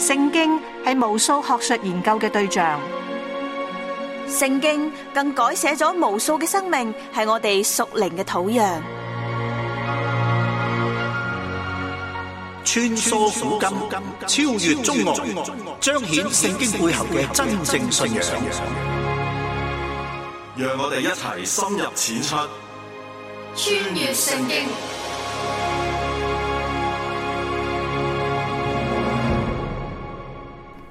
聖經係無數學術研究嘅對象，聖經更改寫咗無數嘅生命，係我哋屬靈嘅土壤。穿梭古今，超越中外，彰顯聖經背後嘅真正信仰。讓我哋一齊深入淺出，穿越聖經。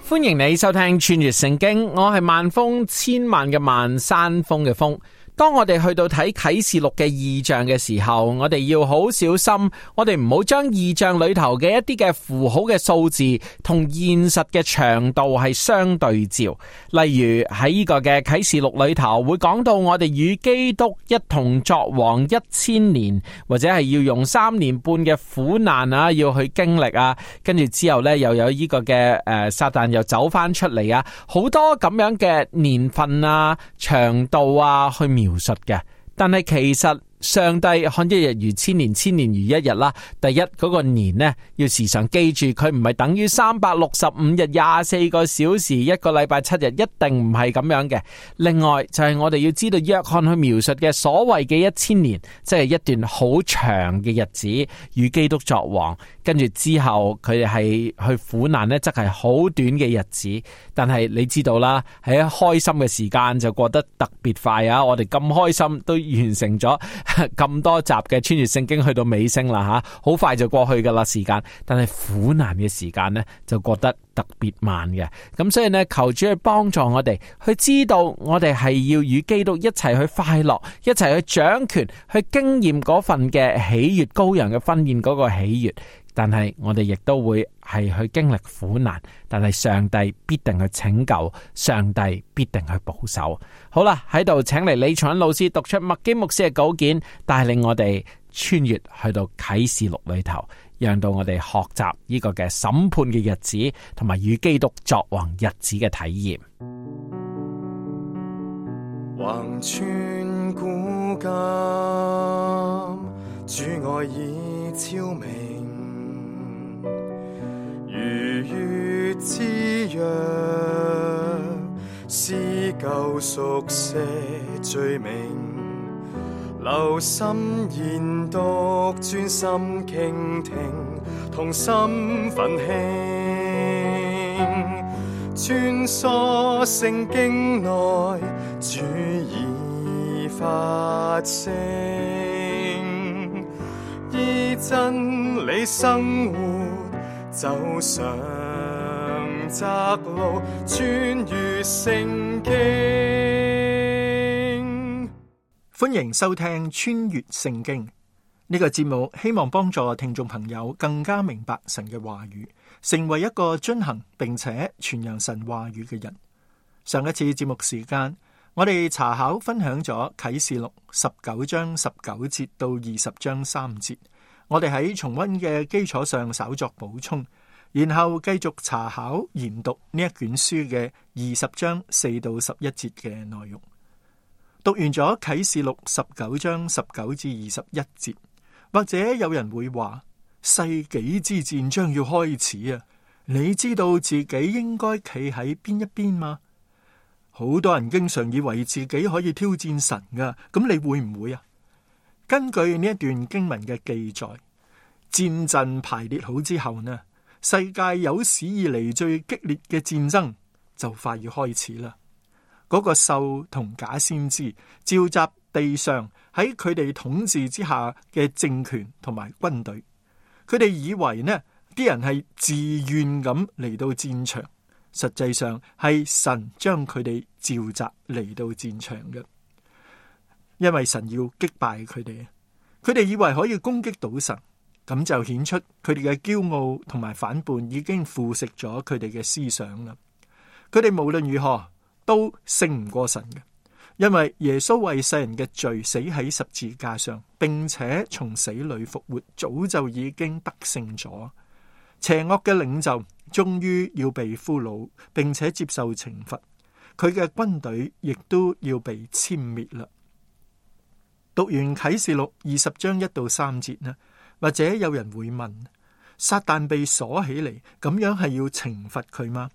歡迎你收聽穿越聖經，我係萬峰千萬嘅萬山峰嘅峰。當我哋去到睇啟示錄嘅異象嘅時候，我哋要好小心，我哋唔好將異象裏頭嘅一啲嘅符號嘅數字同現實嘅長度係相對照。例如喺呢個嘅啟示錄裏頭會講到我哋與基督一同作王1000年，或者係要用3年半嘅苦難啊，要去經歷啊，跟住之後呢，又有呢個嘅撒旦又走翻出嚟啊，好多咁樣嘅年份啊、長度啊去描述嘅。但係其實上帝看一日如千年，千年如一日啦。第一，嗰個年呢，要時常記住，佢唔係等於365日24個小時一個禮拜7日，一定唔係咁樣嘅。另外就係我哋要知道約翰去描述嘅所謂嘅1000年，即係一段好長嘅日子，與基督作王。跟住之後佢哋係去苦難呢，則係好短嘅日子。但係你知道啦，喺開心嘅時間就過得特別快啊！我哋咁開心都完成咗咁多集嘅穿越聖經，去到尾聲啦吓，好快就過去噶啦時間。但係苦難嘅時間呢，就過得特別慢嘅。咁所以呢，求主去幫助我哋去知道，我哋係要與基督一齊去快樂，一齊去掌權，去經驗嗰份嘅喜悅，羔羊嘅婚宴嗰個喜悅。但係我哋亦都會係去經歷苦難，但係上帝必定去拯救，上帝必定去保守。好啦，喺度請嚟李松恩老師讀出麥基牧師嘅稿件，帶領我哋穿越去到啟示錄裏頭，讓到我哋學習呢個嘅審判嘅日子，同埋與基督作王日子嘅體驗。橫穿古今，主愛已超明，如月之約，撕救贖些罪名，留心研讀，專心傾聽，同心奮興，穿梭聖經內，主已發聲，依真理生活，走上窄路，穿越聖經。歡迎收聽穿越聖經呢個節目，希望幫助聽眾朋友更加明白神嘅話語，成為一個遵行並且傳揚神話語嘅人。上一次節目時間，我哋查考分享咗啟示錄19章19節到20章3節。我哋喺重溫嘅基礎上稍作補充，然後繼續查考研讀呢一卷書嘅20章4到11節嘅內容。讀完咗啟示錄19章19至21節，或者有人會話，世紀之戰將要開始啊！你知道自己應該企喺邊一邊嗎？好多人經常以為自己可以挑戰神噶，咁你會唔會啊？根據呢一段經文嘅記載，戰陣排列好之後呢，世界有史以嚟最激烈嘅戰爭就快要開始啦。嗰個獸同假先知召集地上喺佢哋統治之下嘅政權同埋軍隊，佢哋以為呢啲人係自願咁嚟到戰場，實際上係神將佢哋召集嚟到戰場嘅，因為神要擊敗佢哋，佢哋以為可以攻擊到神，咁就顯出佢哋嘅驕傲同埋反叛已經腐蝕咗佢哋嘅思想啦。佢哋無論如何都勝唔過神嘅，因為耶穌為世人嘅罪死喺十字架上，並且從死裏復活，早就已經得勝咗。邪惡嘅領袖終於要被俘虜，並且接受懲罰，佢嘅軍隊亦都要被殲滅啦。讀完啟示錄20章1到3節呢，或者有人會問，撒旦被鎖起嚟，咁樣係要懲罰佢嗎？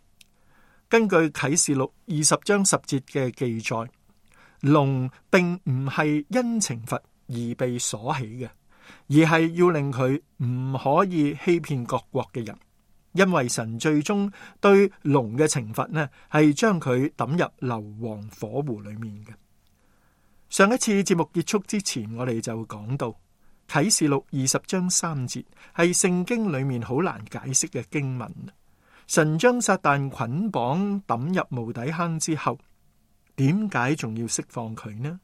根據啟示錄20章10節嘅記載，龍並唔係因懲罰而被鎖起嘅，而係要令佢唔可以欺騙各國嘅人。因為神最終對龍嘅懲罰呢，係將佢抌入硫磺火湖裏面嘅。上一次節目結束之前，我哋就講到啟示錄20章3節係聖經裏面好難解釋嘅經文。神將撒旦捆綁抌入無底坑之後，點解仲要釋放佢呢？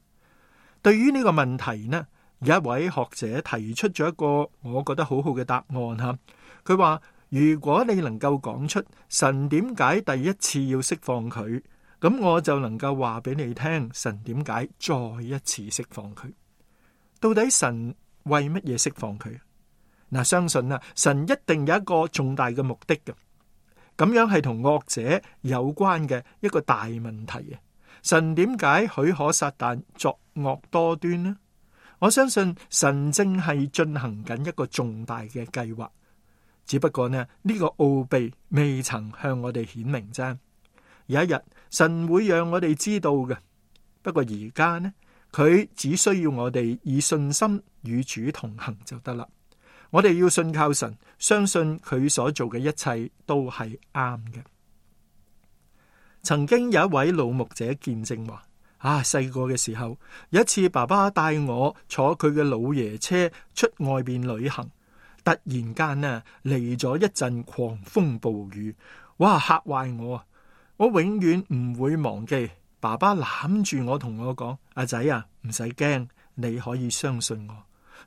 對於呢個問題呢，有一位學者提出咗一個我覺得好好嘅答案吓。佢話，如果你能夠講出神點解第一次要釋放佢，咁我就能夠話俾你聽神點解再一次釋放佢。到底神為乜嘢釋放佢？嗱，相信神一定有一個重大嘅目的嘅。咁樣係同惡者有關嘅一個大問題啊！神點解許可撒旦作惡多端呢？我相信神正係進行緊一個重大嘅計劃。只不過呢個奧秘未曾向我哋顯明啫。有一日神會讓我哋知道嘅。不過而家呢，佢只需要我哋以信心與主同行就得啦。我哋要信靠神，相信佢所做嘅一切都係啱嘅。曾經有一位老牧者見證話：細個嘅時候，有一次爸爸帶我坐佢嘅老爺車出外邊旅行。突然間嚟咗一陣狂風暴雨，哇，嚇壞我！我永遠唔會忘記爸爸攬住我同我講：阿仔啊，唔使驚，你可以相信我。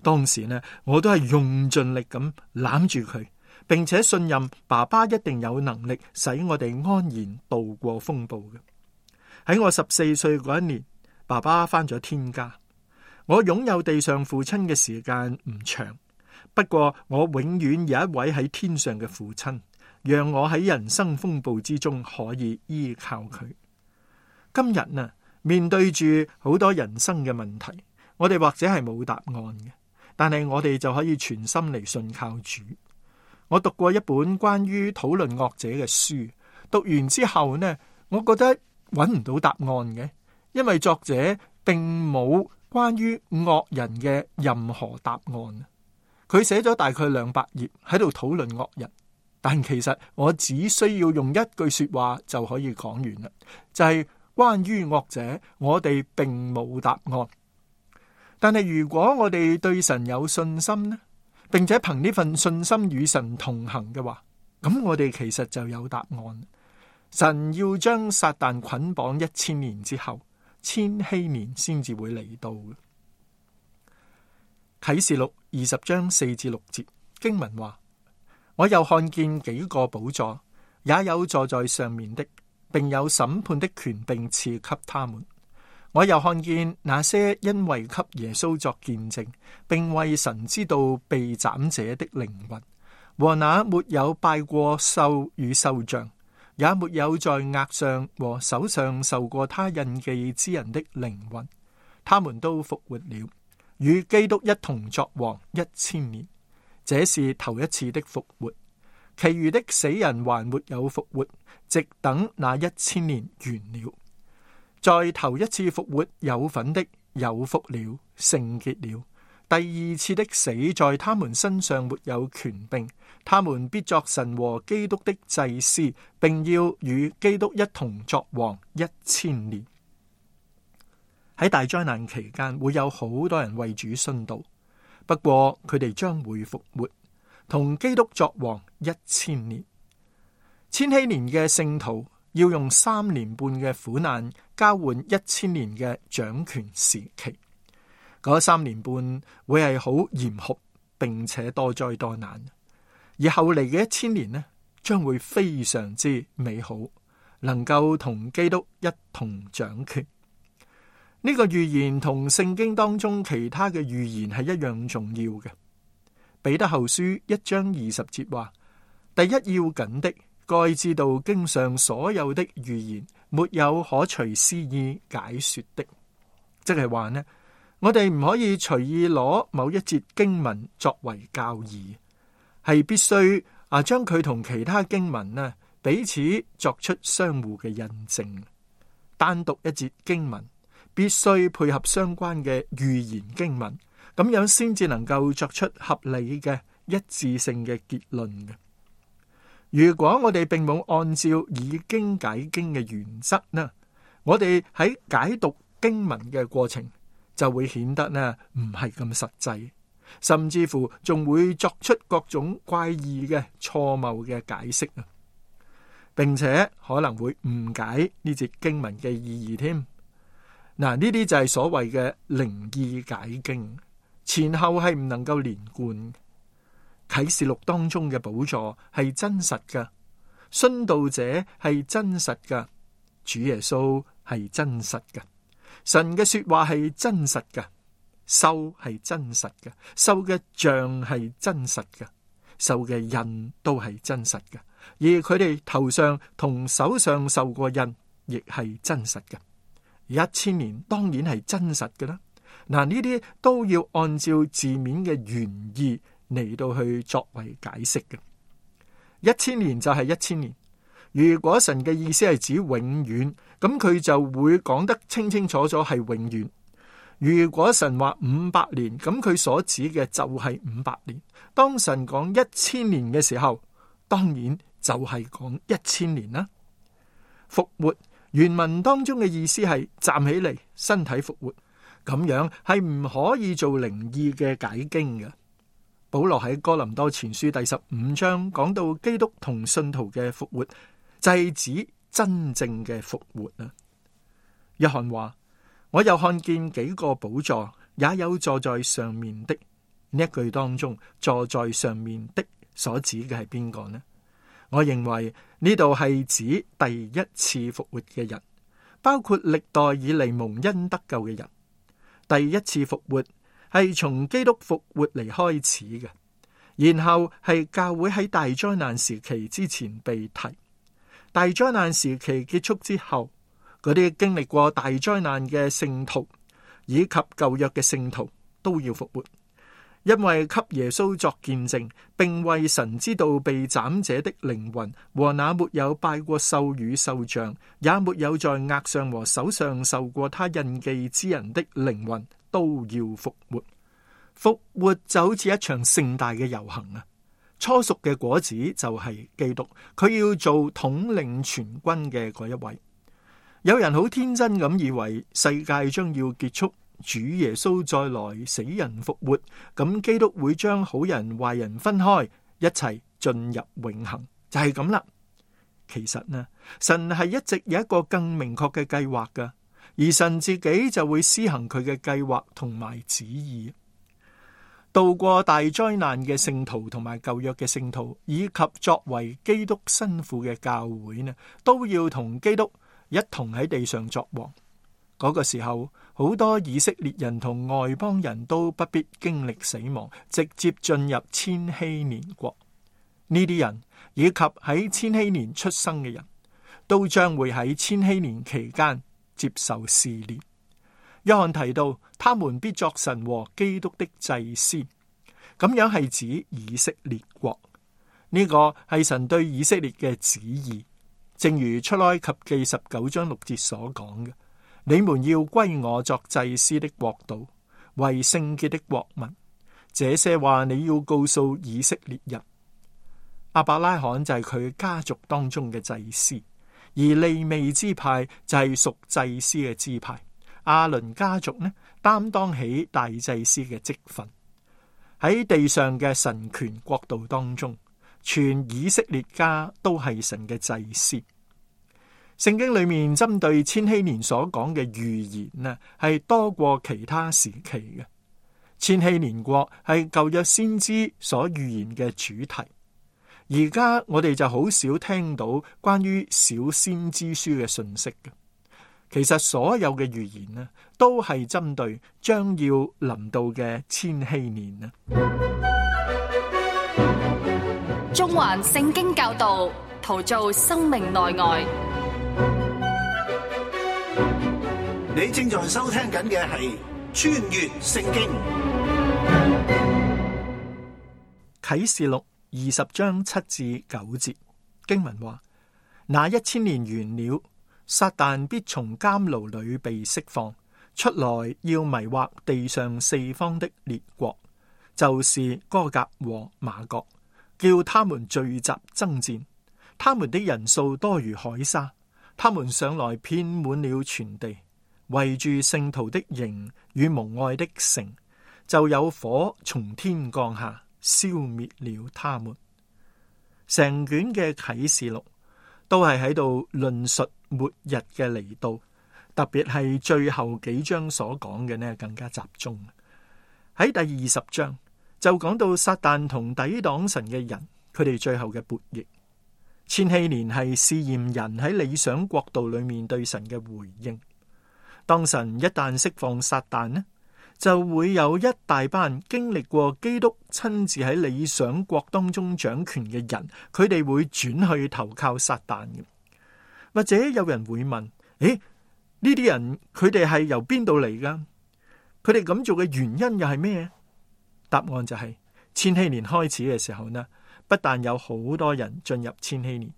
當時我都係用盡力咁攬住佢，並且信任爸爸一定有能力使我哋安然度過風暴嘅。喺我14歲嗰一年，爸爸返咗天家。我擁有地上父親嘅時間唔長。不過我永遠有一位喺天上嘅父親，讓我喺人生風暴之中可以依靠佢。今日面對住好多人生嘅問題，我哋或者係冇答案嘅，但係我哋就可以全心嚟信靠主。我讀過一本關於討論惡者嘅書，讀完之後我覺得揾唔到答案嘅，因為作者並冇關於惡人嘅任何答案。佢寫咗大概200頁喺度討論惡人，但其實我只需要用一句說話就可以講完啦，就係關於惡者，我哋並冇答案。但係如果我哋對神有信心呢，並且憑呢份信心與神同行嘅話，咁我哋其實就有答案。神要將撒旦捆綁1000年之後，1000年先至會嚟到嘅。啟示錄20章4至6節經文話：我又看見幾個寶座，也有坐在上面的，並有審判的權柄賜給他們。我又看見那些因為給耶穌作見證，並為神之道被斬者的靈魂，和那沒有拜過獸與獸像，也沒有在額上和手上受過他印記之人的靈魂，他們都復活了，與基督一同作王1000年，這是頭一次的復活。其餘的死人還沒有復活，直等那1000年完了。在頭一次復活有份的有福了，聖潔了。第二次的死在他們身上沒有權柄，他們必作神和基督的祭司，並要與基督一同作王1000年。喺大災難期間會有好多人為主殉道，不過佢哋將會復活，同基督作王1000年。千禧年嘅聖徒要用3年半嘅苦難交換1000年嘅掌權時期。嗰3年半會係好嚴酷，並且多災多難，而後嚟嘅1000年呢，將會非常之美好，能夠同基督一同掌權。呢個預言同聖經當中其他嘅預言係一樣重要嘅。彼得後書1章20節話：第一要緊的，該知道經上所有的預言，沒有可隨私意解說的。即係話呢，我哋唔可以隨意攞某一節經文作為教義。係必須將佢同其他經文呢彼此作出相互嘅印證。單獨一節經文必須配合相關嘅預言經文，咁樣先至能夠作出合理嘅一致性嘅結論嘅。如果我哋並冇按照以經解經嘅原則呢，我哋喺解讀經文嘅過程就會顯得呢唔係咁實際，甚至乎仲會作出各種怪異嘅錯謬嘅解釋啊，並且可能會誤解呢節經文嘅意義添。嗱，呢啲就係所謂嘅靈意解經，前後係唔能夠連貫。啟示錄當中嘅寶座係真實嘅，殉道者係真實嘅，主耶穌係真實嘅，神嘅說話係真實嘅，獸係真實嘅，獸嘅像係真實嘅，獸嘅印都係真實嘅，而佢哋頭上同手上受過印亦係真實嘅。1000年當然係真實嘅啦。嗱，呢啲都要按照字面嘅原意嚟到去作為解釋嘅。1000年就係1000年。如果神嘅意思係指永遠，咁佢就會講得清清楚楚係永遠。如果神話500年，咁佢所指嘅就係500年。當神講1000年嘅時候，當然就係講1000年啦。復活原文當中嘅意思係站起嚟，身體復活，咁樣係唔可以做靈意嘅解經嘅。保羅喺哥林多前書第15章講到基督同信徒嘅復活，就係指真正嘅復活啊。約翰話：我又看見幾個寶座，也有坐在上面的。呢一句當中，坐在上面的所指嘅係邊個呢？我認為呢度係指第一次復活嘅人，包括歷代以嚟蒙恩得救嘅人。第一次復活係從基督復活嚟開始嘅，然後係教會喺大災難時期之前被提。大災難時期結束之後，嗰啲經歷過大災難嘅聖徒以及舊約嘅聖徒都要復活，因為給耶穌作見證，並為神之道被斬者的靈魂和那沒有拜過獸與獸像，也沒有在額上和手上受過他印記之人的靈魂都要復活。復活就好似一場盛大嘅遊行啊！初熟嘅果子就係基督，佢要做統領全軍嘅嗰一位。有人好天真咁以為世界將要結束，主耶穌再來，死人復活，咁基督會將好人壞人分開，一齊進入永恆，就係咁啦。其實呢，神係一直有一個更明確嘅計劃噶，而神自己就會施行佢嘅計劃同埋旨意。渡過大災難嘅聖徒同埋舊約嘅聖徒，以及作為基督新婦嘅教會呢，都要同基督一同喺地上作王。嗰個時候，好多以色列人同外邦人都不必經歷死亡，直接進入千禧年國。呢啲人以及喺千禧年出生嘅人，都將會喺千禧年期間接受試煉。約翰提到，他們必作神和基督的祭司，咁樣係指以色列國。呢個係神對以色列嘅旨意，正如出埃及記19章6節所講嘅：你們要歸我作祭司的國度，為聖潔的國民。這些話你要告訴以色列人。亞伯拉罕就係佢家族當中嘅祭司，而利未支派就係屬祭司嘅支派。亞倫家族呢，擔當起大祭司嘅職分。喺地上嘅神權國度當中，全以色列家都係神嘅祭司。聖經裏面針對千禧年所講嘅預言呢，係多過其他時期嘅。千禧年國係舊約先知所預言嘅主題。而家我哋就好少聽到關於小先知書嘅信息嘅。其實所有嘅預言呢，都係針對將要臨到嘅千禧年啊。中環聖經教導，陶造生命內外。你正在收聽緊嘅係穿越聖經。啟示錄20章7至9節經文話：那1000年完了，撒旦必從監牢裏被釋放，出來要迷惑地上四方的列國，就是歌革和瑪各，叫他們聚集爭戰。他們的人數多如海沙，他們上來遍滿了全地，圍住聖徒的營與蒙愛的城，就有火從天降下，消滅了他們。成卷嘅啟示錄都係喺度論述末日嘅嚟到，特別係最後幾章所講嘅呢，更加集中。喺第20章就講到撒旦同抵擋神嘅人，佢哋最後嘅悖逆。千禧年係試驗人喺理想國度裏面對神嘅回應。當神一旦釋放撒旦呢，就會有一大班經歷過基督親自喺理想國當中掌權嘅人，佢哋會轉去投靠撒旦嘅。或者有人會問：呢啲人佢哋係由邊度嚟噶？佢哋咁做嘅原因又係咩？答案就係千禧年開始嘅時候呢，不但有好多人進入千禧年，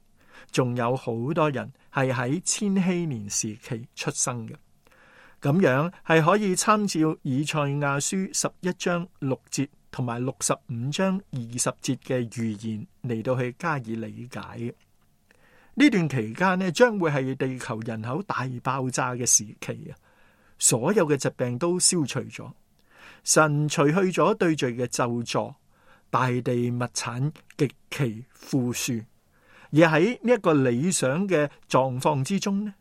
仲有好多人係喺千禧年時期出生嘅。咁樣係可以參照以賽亞書11章6節同埋65章20節嘅預言嚟到去加以理解嘅。呢段期間呢，將會係地球人口大爆炸嘅時期啊！所有嘅疾病都消除咗，神除去咗對罪嘅咒詛，大地物產極其富庶，而喺呢一個理想嘅狀況之中呢，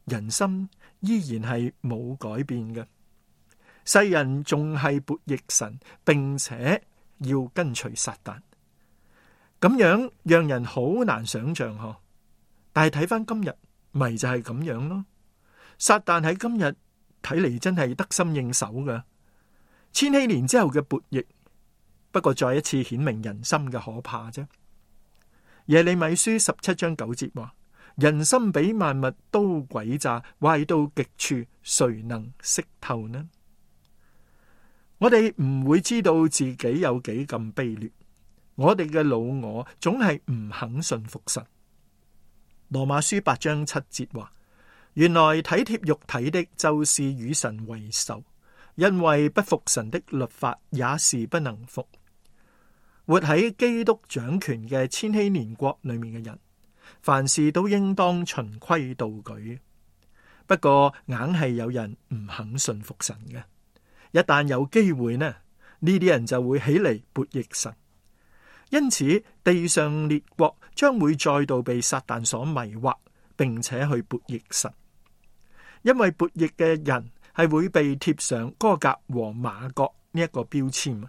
人心依然係冇改變嘅，世人仲係悖逆神，並且要跟隨撒旦，咁樣讓人好難想象嗬。但係睇翻今日，咪就係咁樣咯。撒旦喺今日睇嚟真係得心應手噶。千禧年之後嘅悖逆，不過再一次顯明人心嘅可怕啫。耶利米書17章9節話：人心比萬物都詭詐，壞到極處，誰能識透呢？我哋唔會知道自己有幾咁卑劣，我哋嘅老我總係唔肯信服神。羅馬書8章7節話：原來體貼肉體的，就是與神為仇，因為不服神的律法，也是不能服。活喺基督掌權嘅千禧年國裏面嘅人，凡事都應當循規蹈矩。不過硬係有人唔肯信服神嘅，一旦有機會呢，呢啲人就會起嚟悖逆神。因此地上列國將會再度被撒旦所迷惑，並且去悖逆神。因為悖逆嘅人係會被貼上歌革和瑪各呢一個標籤。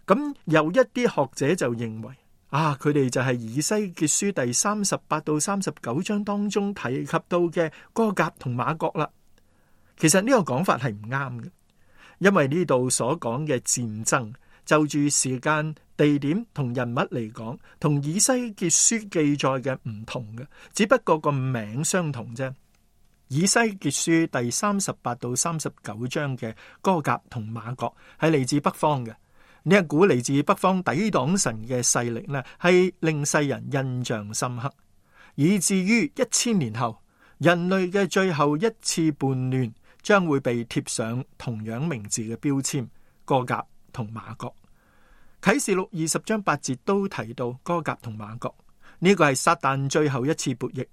咁有一啲學者就認為佢哋就係以西結書第38到39章當中提及到嘅歌革同瑪各啦。其實呢個講法係唔啱嘅，因為呢度所講嘅戰爭就住時間、地點同人物嚟講，同以西結書記載嘅唔同嘅，只不過個名相同啫。以西結書第38到39章嘅歌革同瑪各係嚟自北方嘅，呢一股嚟自北方抵擋神嘅勢力呢，係令世人印象深刻，以至於1000年後人類嘅最後一次叛亂將會被貼上同樣名字嘅標籤，歌革同瑪各。啟示錄20章8節都提到歌革同瑪各，呢個係撒旦最後一次悖逆。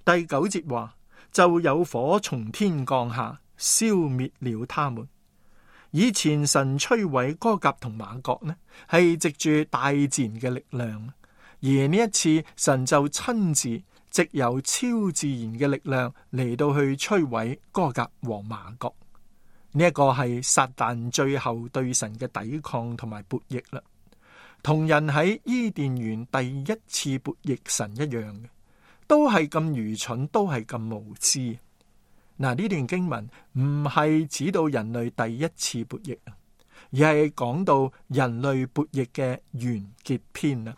第9節話，就有火從天降下，消滅了他們。以前神摧毀歌革同瑪各呢，係藉住大自然嘅力量，而呢一次神就親自藉由超自然嘅力量嚟到去摧毀歌革和瑪各。呢一個係撒旦最後對神嘅抵抗同埋悖逆啦，同人喺伊甸園第一次悖逆神一樣嘅，都係咁愚蠢，都係咁無知。嗱，呢段經文唔係指到人類第一次悖逆，而係講到人類悖逆嘅完結篇啦。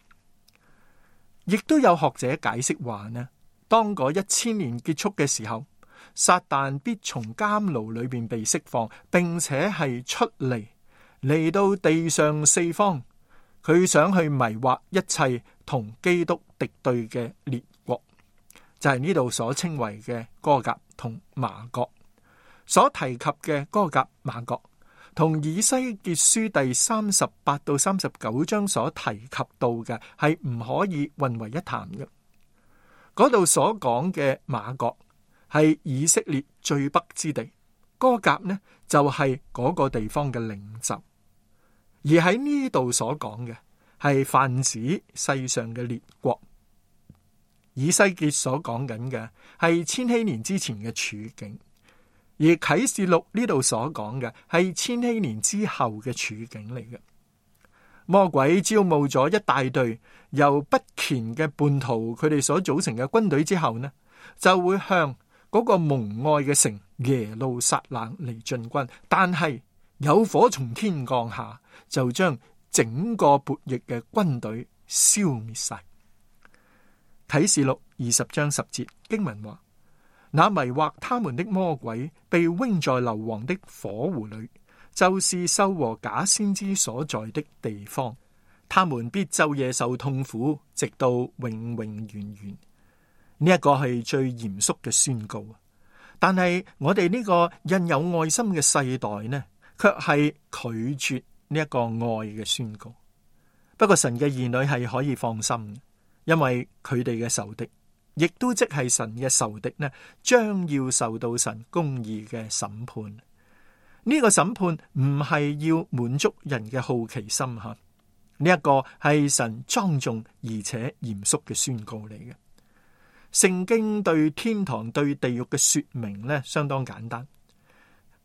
亦都有學者解釋話呢，當嗰1000年結束嘅時候，撒旦必從監牢裏邊被釋放，並且係出嚟到地上四方，佢想去迷惑一切同基督敵對嘅列國，就係呢度所稱為嘅歌革同瑪各。所提及嘅歌革、瑪各同以西結書第38到39章所提及到嘅係唔可以混為一談嘅。嗰度所講嘅瑪各係以色列最北之地，歌革呢就係嗰個地方嘅領袖。而喺呢度所講嘅係泛指世上嘅列國。以西結所講緊嘅係千禧年之前嘅處境，而啟示錄呢度所講嘅係千禧年之後嘅處境嚟嘅。魔鬼招募咗一大隊由不虔嘅叛徒佢哋所組成嘅軍隊之後呢，就會向嗰個蒙愛嘅城耶路撒冷嚟進軍，但係有火從天降下，就將整個悖逆嘅軍隊消滅晒。啟示錄20章10節經文話：那迷惑他們的魔鬼被扔在硫磺的火湖裏，就是獸和假先知所在的地方，他們必晝夜受痛苦，直到永永遠遠。呢一個係最嚴肅嘅宣告，但係我哋呢個印有愛心嘅世代呢，卻係拒絕呢一個愛嘅宣告。不過神嘅兒女係可以放心，因為佢哋嘅仇敵，亦都即係神嘅仇敵呢，將要受到神公義嘅審判。呢個審判唔係要滿足人嘅好奇心吓，呢一個係神莊重而且嚴肅嘅宣告嚟嘅。聖經對天堂對地獄嘅說明呢，相當簡單，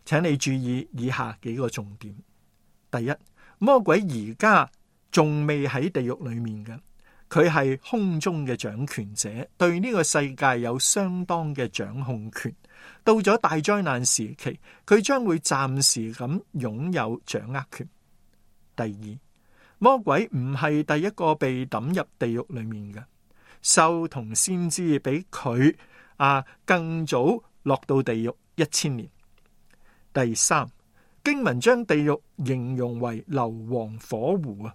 請你注意以下幾個重點。第一，魔鬼而家仲未喺地獄裏面嘅，佢係空中嘅掌權者，對呢個世界有相當嘅掌控權。到咗大災難時期，佢將會暫時咁擁有掌握權。第二，魔鬼唔係第一個被抌入地獄裏面嘅，獸同先知比佢更早落到地獄1000年。第三，經文將地獄形容為硫磺火湖啊。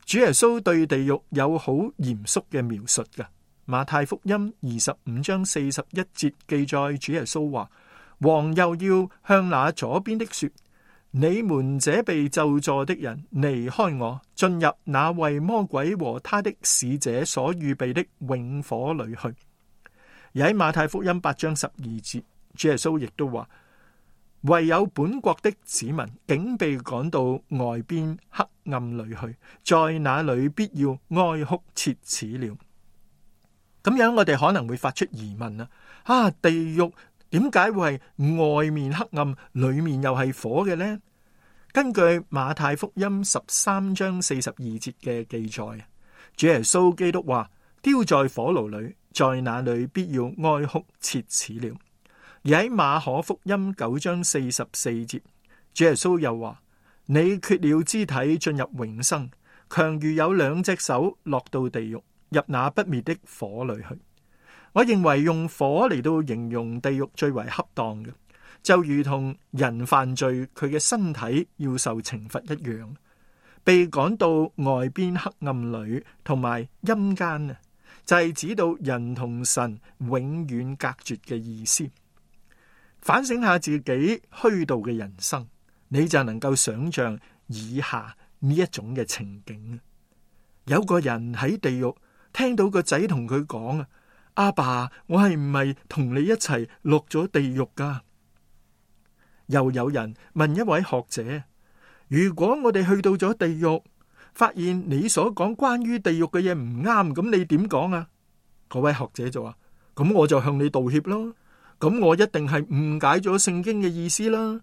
主耶穌對地獄有好嚴肅嘅描述嘅。馬太福音25章41節記載，主耶穌話：王又要向那左邊的說，你們這被咒詛的人，離開我，進入那為魔鬼和他的使者所預備的永火裏去。而喺馬太福音8章12節，主耶穌亦都話：唯有本國的子民竟被趕到外邊黑暗裏去，在那裏必要哀哭切齒了。咁樣我哋可能會發出疑問啊，地獄點解會係外面黑暗，裏面又係火嘅呢？根據馬太福音13章42節嘅記載，主耶穌基督話：丟在火爐裏，在那裏必要哀哭切齒了。而喺馬可福音9章44節，主耶穌又話：你缺了肢體進入永生，強如有2隻手落到地獄，入那不滅的火裏去。我認為用火嚟到形容地獄最為恰當嘅，就如同人犯罪佢嘅身體要受懲罰一樣，被趕到外邊黑暗裏同埋陰間啊，就係指到人同神永遠隔絕嘅意思。反省下自己虛度嘅人生，你就能夠想象以下呢一種嘅情景。有個人喺地獄聽到個仔同佢講啊，阿爸，我係唔係同你一齊落咗地獄噶？又有人問一位學者，如果我哋去到咗地獄，發現你所講關於地獄嘅嘢唔啱，咁你點講啊？嗰位學者就話：咁我就向你道歉咯。咁我一定係誤解咗聖經嘅意思啦。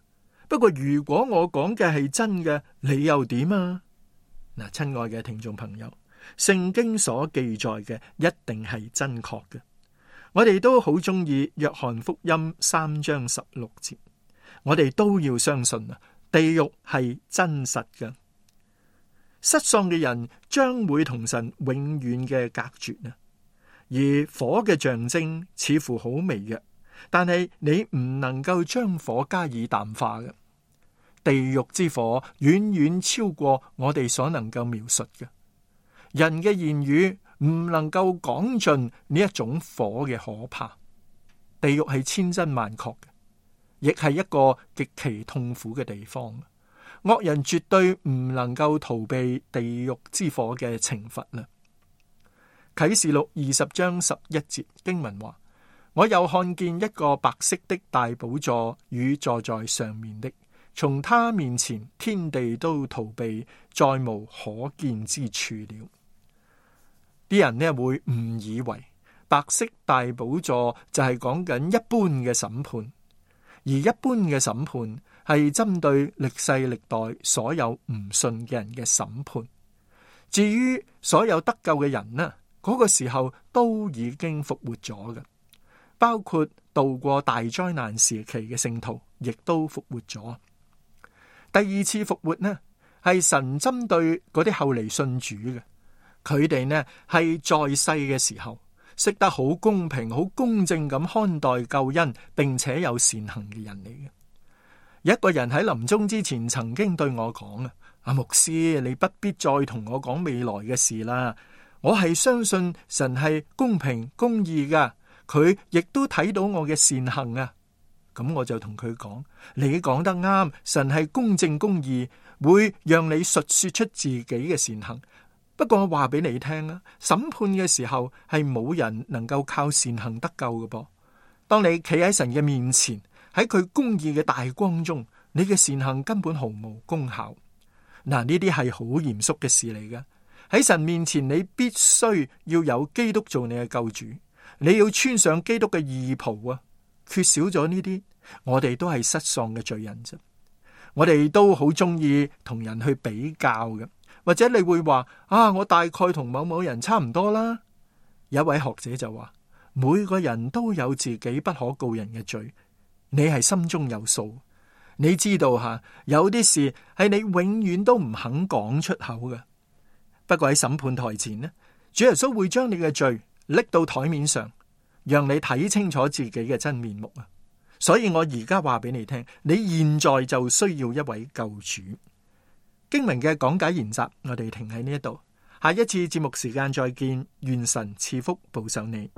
不過如果我講嘅係真嘅，你又點啊？嗱，親愛嘅聽眾朋友，聖經所記載嘅一定係真確嘅。我哋都好中意約翰福音3章16節，我哋都要相信啊，地獄係真實嘅。失喪嘅人將會同神永遠嘅隔絕啊。而火嘅象徵似乎好微弱，但係你唔能夠將火加以淡化嘅。地獄之火遠遠超過我哋所能夠描述嘅。人嘅言語唔能夠講盡呢一種火嘅可怕。地獄係千真萬確嘅，亦係一個極其痛苦嘅地方。惡人絕對唔能夠逃避地獄之火嘅懲罰啦。啟示錄20章11節經文話：我又看見一個白色的大寶座與坐在上面的，從他面前天地都逃避，再無可見之處了。啲人呢會誤以為白色大寶座就係講緊一般嘅審判，而一般嘅審判係針對歷世歷代所有唔信嘅人嘅審判。至於所有得救嘅人呢，嗰個時候都已經復活咗嘅，包括度過大災難時期嘅聖徒，亦都復活咗。第二次復活呢，係神針對嗰啲後嚟信主嘅，佢哋呢係在世嘅時候識得好公平、好公正咁看待救恩，並且有善行嘅人嚟嘅。有一個人喺臨終之前曾經對我講啊，阿牧師，你不必再同我講未來嘅事啦，我係相信神係公平公義噶，佢亦都睇到我嘅善行啊。咁我就同佢講，你講得啱，神係公正公義，會讓你述說出自己嘅善行。不過我話俾你聽啊，審判嘅時候係冇人能夠靠善行得救嘅噃。當你企喺神嘅面前，喺佢公義嘅大光中，你嘅善行根本毫無功效。嗱，呢啲係好嚴肅嘅事嚟嘅。喺神面前，你必須要有基督做你嘅救主，你要穿上基督嘅義袍啊！缺少咗呢啲，我哋都係失喪嘅罪人啫。我哋都好中意同人去比較嘅，或者你會話啊，我大概同某某人差唔多啦。有一位學者就話，每個人都有自己不可告人嘅罪，你係心中有數。你知道吓，有啲事係你永遠都唔肯講出口嘅。不過喺審判台前呢，主耶穌會將你嘅罪拎到台面上，讓你睇清楚自己嘅真面目啊！所以我而家話俾你聽，你現在就需要一位救主。經文嘅講解研習，我哋停喺呢一度，下一次節目時間再見，願神賜福保守你。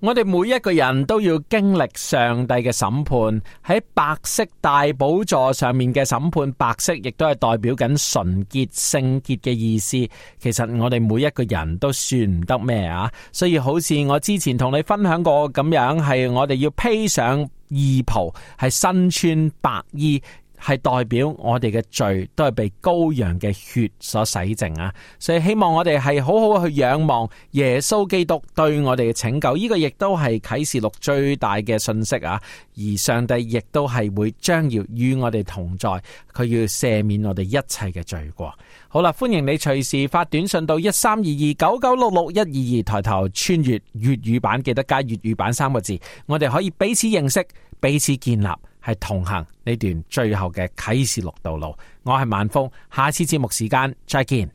我哋每一個人都要經歷上帝嘅審判，喺白色大寶座上面嘅審判，白色亦都係代表緊純潔、聖潔嘅意思。其實我哋每一個人都算唔得咩啊，所以好似我之前同你分享過咁樣，係我哋要披上義袍，係身穿白衣，係代表我哋嘅罪都係被羔羊嘅血所洗淨啊！所以希望我哋係好好去仰望耶穌基督對我哋嘅拯救，呢個亦都係啟示錄最大嘅信息啊！而上帝亦都係會將要與我哋同在，佢要赦免我哋一切嘅罪過。好啦，歡迎你隨時發短信到132299661122，抬頭穿越粵語版，記得加粵語版3個字，我哋可以彼此認識，彼此建立，係同行呢段最後嘅啟示錄道路。我係萬峰，下次節目時間再見。